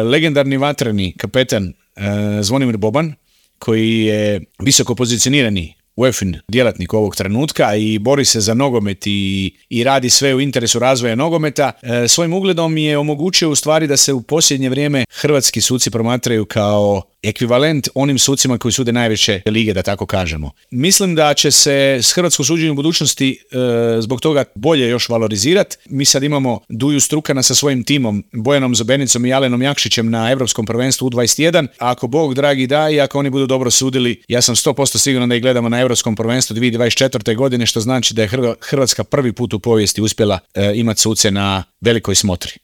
legendarni vatreni kapetan Zvonimir Boban, koji je visoko pozicionirani UEFA-in djelatnik ovog trenutka i bori se za nogomet i radi sve u interesu razvoja nogometa, svojim ugledom je omogućio u stvari da se u posljednje vrijeme hrvatski suci promatraju kao ekvivalent onim sucima koji sude najveće lige, da tako kažemo. Mislim da će se hrvatsko suđenje u budućnosti zbog toga bolje još valorizirati. Mi sad imamo Duju Strukana sa svojim timom, Bojanom Zobenicom i Alenom Jakšićem na Europskom prvenstvu U21. Ako Bog dragi da i ako oni budu dobro sudili, ja sam 100% siguran da ih gledamo na Europskom prvenstvu 2024. godine, što znači da je Hrvatska prvi put u povijesti uspjela imati suce na velikoj smotri.